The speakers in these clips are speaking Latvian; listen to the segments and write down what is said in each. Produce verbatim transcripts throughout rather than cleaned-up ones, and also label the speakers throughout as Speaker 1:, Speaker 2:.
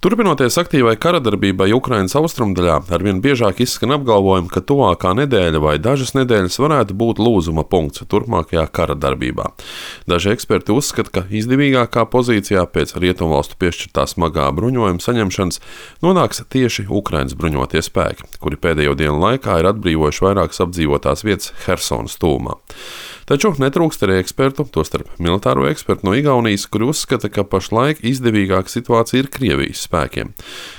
Speaker 1: Turpinoties aktīvai karadarbībai Ukrainas austrumdaļā, arvien biežāk izskan apgalvojumi, ka tuvākā nedēļa vai dažas nedēļas varētu būt lūzuma punkts turpmākajā karadarbībā. Daži eksperti uzskata, ka izdevīgākā pozīcijā pēc rietumvalstu piešķirtā smagā bruņojuma saņemšanas nonāks tieši Ukrainas bruņotie spēki, kuri pēdējo dienu laikā ir atbrīvojuši vairākas apdzīvotās vietas Hersonas tuvumā. Taču netrūkst arī ekspertu, tostarp militāro ekspertu no Igaunijas, kuri uzskata, ka pašlaik izdevīgāka situācija ir Krievijas spēkiem,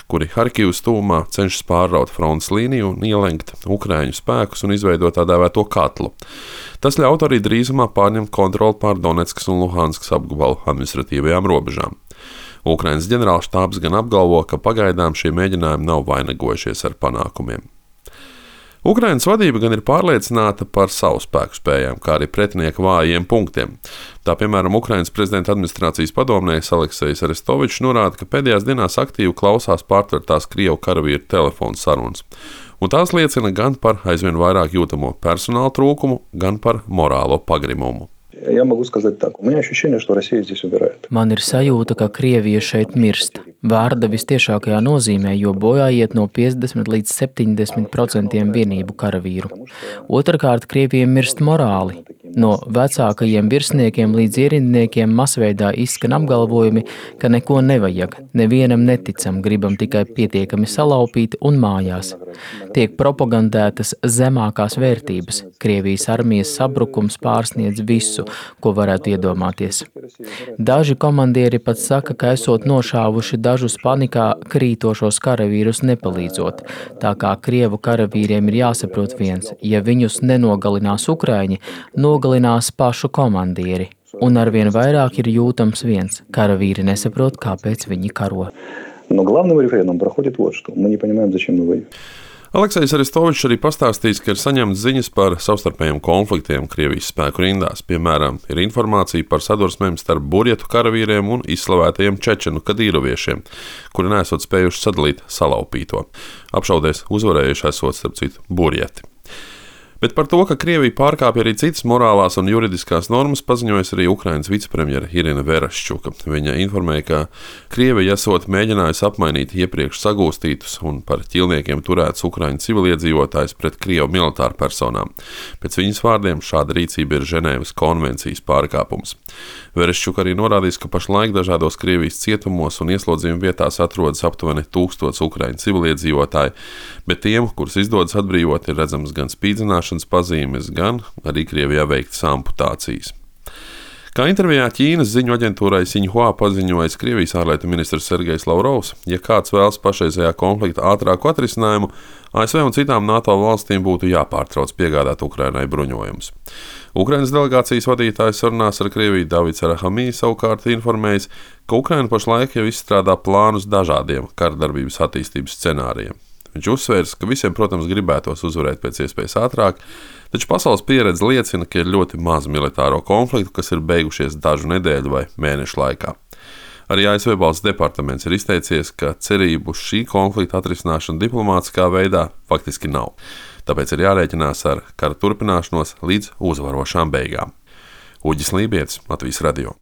Speaker 1: kuri Harkivas tuvumā cenšas pārraut frontes līniju un ielenkt ukraiņu spēkus un izveidot tā dēvēto katlu. Tas ļaut arī drīzumā pārņemt kontroli pār Donetskas un Luhanskas apgabalu administratīvajām robežām. Ukrainas ģenerālštābs gan apgalvo, ka pagaidām šie mēģinājumi nav vainagojušies ar panākumiem. Ukrainas vadība gan ir pārliecināta par savu spēku spējām, kā arī pretinieka vājiem punktiem. Tā, piemēram, Ukrainas prezidenta administrācijas padomnieks Aleksejs Arestovičs norāda, ka pēdējās dienās aktīvi klausās pārtvertās Krievu karavīru telefonu sarunas. Un tās liecina gan par aizvien vairāk jūtamo personāla trūkumu, gan par morālo pagrimumu.
Speaker 2: Man ir sajūta, ka Krievija šeit mirst. Vārda vistiešākajā nozīmē, jo bojā iet no piecdesmit līdz septiņdesmit procentiem vienību karavīru. Otrakārt, Krievija mirst morāli. No vecākajiem virsniekiem līdz ierindniekiem masveidā izskan apgalvojumi, ka neko nevajag, nevienam neticam, gribam tikai pietiekami salaupīt un mājās. Tiek propagandētas zemākās vērtības. Krievijas armijas sabrukums pārsniedz visu, ko varētu iedomāties. Daži komandieri pat saka, ka esot nošāvuši dažus panikā krītošos karavīrus nepalīdzot, tā kā Krievu karavīriem ir jāsaprot viens, ja viņus nenogalinās Ukraiņi, nogalinās pašu komandieri. Un arvien vairāk ir jūtams viens, karavīri nesaprot, kāpēc viņi karo.
Speaker 3: Но главным рефреном проходит вот что. Мы не понимаем, зачем мы воюем.
Speaker 1: Aleksejs Arestovičs arī pastāstīs, ka ir saņemts ziņas par savstarpējiem konfliktiem Krievijas spēku rindās. Piemēram, ir informācija par sadursmēm starp burjetu karavīriem un izslavētajiem čečenu kadīroviešiem, kuri nesot spējuši sadalīt salaupīto. Apšaudēs uzvarējuši esot, starp citu, burjeti. Bet par to, ka Krievija pārkāpja arī citas morālās un juridiskās normas, paziņojas arī Ukrainas vicepremjera Irina Vereščuka. Viņa informēja, ka Krievija esot mēģinājusi apmainīt iepriekš sagūstītus un par ķilniekiem turētus Ukraiņu civiliedzīvotājus pret Krievu militāru personām. Pēc viņas vārdiem šāda rīcība ir Ženēvas konvencijas pārkāpums. Vereščuka arī norādījis, ka pašlaik dažādos Krievijas cietumos un ieslodzījuma vietās atrodas aptuveni tūkstots Ukraiņu civiliedzīvotāji, bet tiem, kurus izdodas atbrīvot, ir redzams gan spīdzināšanas pazīmes, gan arī Krievijā veiktas amputācijas. Kā intervijā Ķīnas ziņu aģentūrai Sinhua paziņojis Krievijas ārlietu ministrs Sergejs Lavrovs, ja kāds vēlas pašreizējā konflikta ātrāku atrisinājumu, A S V un citām NATO valstīm būtu jāpārtrauc piegādāt Ukrainai bruņojumus. Ukrainas delegācijas vadītājs sarunās ar Krieviju Davids Arahamī savukārt informējis, ka Ukraina pašlaik jau izstrādā plānus dažādiem karadarbības attīstības scenārijiem. Viņš uzsvērs, ka visiem, protams, gribētos uzvarēt pēc iespējas ātrāk, taču pasaules pieredze liecina, ka ir ļoti maz militāro konfliktu, kas ir beigušies dažu nedēļu vai mēnešu laikā. Arī A S V valsts departaments ir izteicies, ka cerību uz šī konflikta atrisināšanu diplomātiskā veidā faktiski nav. Tāpēc ir jārēķinās ar kara turpināšanos līdz uzvarošām beigām. Uģis Lībietis, Latvijas radio.